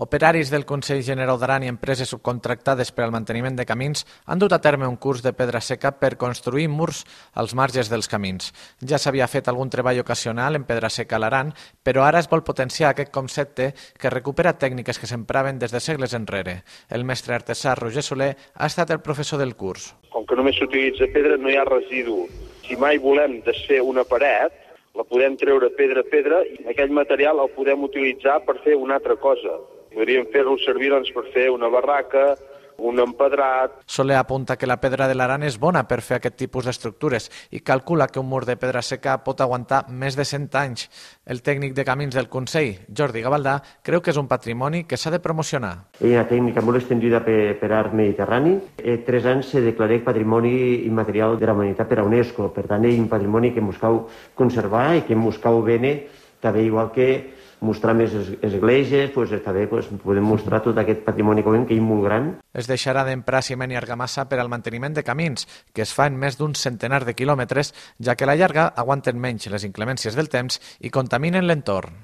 Operaris del Consell General d'Aran i empreses subcontractades per al manteniment de camins han dut a terme un curs de pedra seca per construir murs als marges dels camins. Ja s'havia fet algun treball ocasional en pedra seca a l'Aran, però ara es vol potenciar aquest concepte que recupera tècniques que s'empraven des de segles enrere. El mestre artesà Roger Soler ha estat el professor del curs. Com que només s'utilitza pedra, no hi ha residu. Si mai volem desfer una paret, la podem treure pedra a pedra i aquell material el podem utilitzar per fer una altra cosa. Podríem fer-lo servir per fer una barraca, un empedrat. Soler apunta que la pedra de l'Aran és bona per fer aquest tipus d'estructures i calcula que un mur de pedra seca pot aguantar més de 100 anys. El tècnic de camins del Consell, Jordi Gavaldà, creu que és un patrimoni que s'ha de promocionar. És una tècnica molt estendida per art mediterrani. 3 anys se declarà Patrimoni Immaterial de la Humanitat per a UNESCO. Per tant, és un patrimoni que buscau conservar i que buscau bene, també igual que mostrar més esglésies, també podem mostrar tot aquest patrimoni que és molt gran. Es deixarà d'emprar ciment i argamassa per al manteniment de camins, que es fa en més d'un centenar de quilòmetres, ja que a la llarga aguanten menys les inclemències del temps i contaminen l'entorn.